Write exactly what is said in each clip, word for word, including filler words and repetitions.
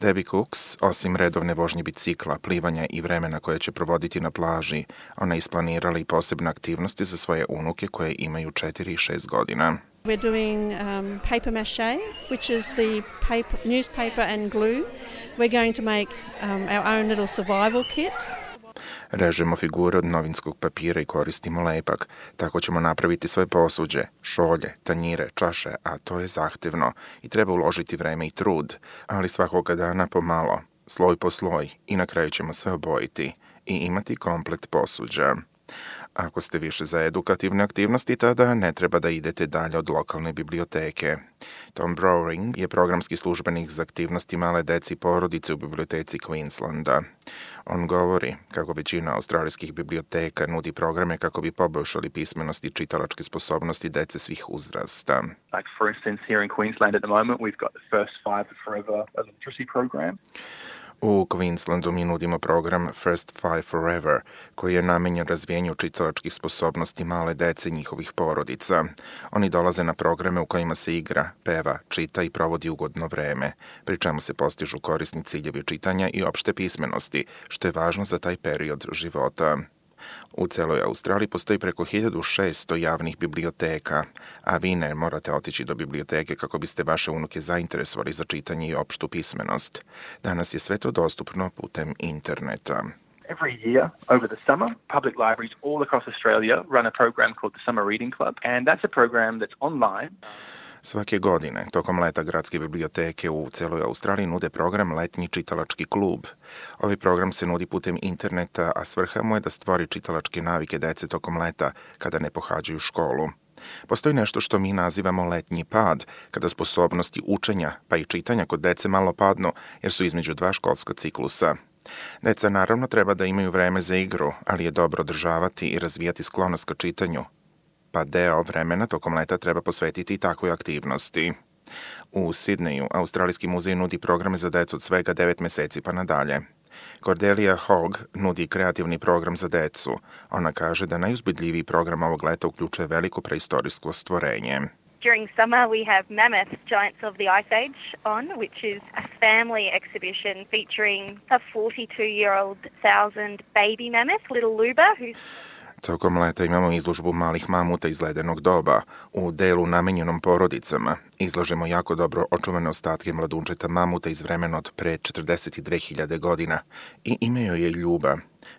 Debbie Cooks, osim redovne vožnje bicikla, plivanja i vremena koje će provoditi na plaži, ona je isplanirala i posebne aktivnosti za svoje unuke koje imaju četiri i šest godina. We're doing um, paper mache, which is the paper, newspaper and glue. We're going to make um, our own little survival kit. Režemo figure od novinskog papira i koristimo lepak. Tako ćemo napraviti svoje posuđe, šolje, tanjire, čaše, a to je zahtevno i treba uložiti vreme i trud, ali svakoga dana pomalo, sloj po sloj i na kraju ćemo sve obojiti i imati komplet posuđa. Ako ste više za edukativne aktivnosti, tada ne treba da idete dalje od lokalne biblioteke. Tom Browring je programski službenik za aktivnosti male deci i porodice u biblioteci Queenslanda. On govori kako većina australijskih biblioteka nudi programe kako bi poboljšali pismenost i čitalačke sposobnosti dece svih uzrasta. Like for instance, here in Queensland at the moment, we've got the First Five Forever literacy program. U Queenslandu mi nudimo program First Five Forever, koji je namenjen razvijenju čitalačkih sposobnosti male dece i njihovih porodica. Oni dolaze na programe u kojima se igra, peva, čita i provodi ugodno vreme, pri čemu se postižu korisni ciljevi čitanja i opšte pismenosti, što je važno za taj period života. U celoj Australiji postoji preko hiljadu šesto javnih biblioteka, a vi ne morate otići do biblioteke kako biste vaše unuke zainteresovali za čitanje i opštu pismenost. Danas je sve to dostupno putem interneta. Every year, over the summer, public libraries all across Australia run a program called the Summer Reading Club, and that's a program that's online. Svake godine, tokom leta, gradske biblioteke u celoj Australiji nude program Letnji čitalački klub. Ovaj program se nudi putem interneta, a svrha mu je da stvori čitalačke navike dece tokom leta, kada ne pohađaju školu. Postoji nešto što mi nazivamo letnji pad, kada sposobnosti učenja pa i čitanja kod dece malo padnu, jer su između dva školska ciklusa. Deca naravno treba da imaju vreme za igru, ali je dobro održavati i razvijati sklonost ka čitanju, pa deo vremena tokom leta treba posvetiti i takvoj aktivnosti. U Sidneju, Australijski muzej nudi programe za decu od svega devet meseci pa nadalje. Cordelia Hogg nudi kreativni program za decu. Ona kaže da najuzbudljiviji program ovog leta uključuje veliko preistorijsko stvorenje. During summer we have Mammoth, Giants of the Ice Age on, which is a family exhibition featuring a forty-two-year-old thousand baby mammoth, little Luba, who's Tokom leta imamo izložbu malih mamuta iz ledenog doba. U delu namenjenom porodicama izlažemo jako dobro očuvane ostatke mladunčeta mamuta iz vremena od pre četrdeset dve hiljade godina i ime joj je Ljuba.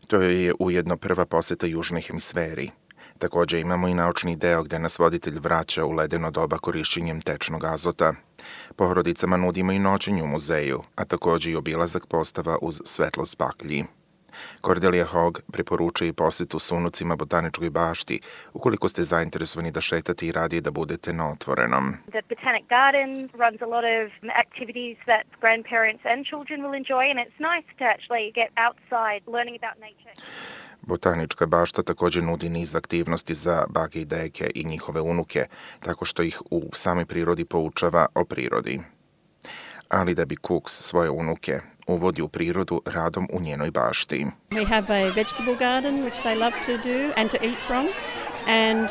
To je ujedno prva poseta južnoj hemisferi. Također imamo i naučni deo gde nas voditelj vraća u ledeno doba korišćenjem tečnog azota. Porodicama nudimo i noćenje u muzeju, a također i obilazak postava uz svetlost baklji. Cordelia Hogg preporučuje i posetu s unucima botaničkoj bašti, ukoliko ste zainteresovani da šetate i radije da budete na otvorenom. The Botanic Garden runs a lot of activities that grandparents and children will enjoy, and it's nice to actually get outside learning about nature. Botanička bašta također nudi niz aktivnosti za bake i deke i njihove unuke, tako što ih u samoj prirodi poučava o prirodi. Ali Debbie Cooks svoje unuke uvodi u prirodu radom u njenoj bašti. We have a vegetable garden which they love to do and to eat from, and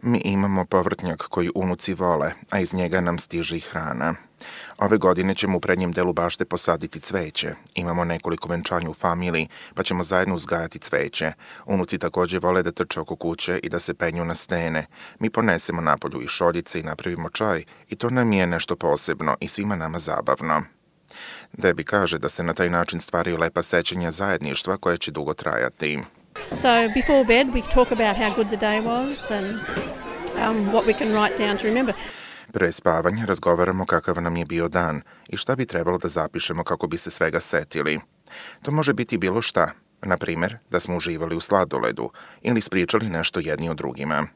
Mi imamo povrtnjak koji unuci vole, a iz njega nam stiže i hrana. Ove godine ćemo u prednjem delu bašte posaditi cveće. Imamo nekoliko venčanja u familiji, pa ćemo zajedno uzgajati cveće. Unuci također vole da trče oko kuće i da se penju na stene. Mi ponesemo napolju i šoljice i napravimo čaj i to nam je nešto posebno i svima nama zabavno. Debbie kaže da se na taj način stvaraju lepa sećanja zajedništva koje će dugo trajati. so before bed we talk about how good the day was and um, what we can write down to remember. Pre spavanja razgovaramo kakav nam je bio dan i šta bi trebalo da zapišemo kako bi se svega setili. To može biti bilo šta, na primjer da smo uživali u sladoledu ili ispričali nešto jedni o drugima.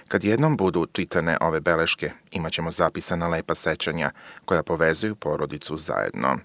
Kad jednom budu čitane ove beleške, imat ćemo zapisana lepa sećanja koja povezuju porodicu zajedno.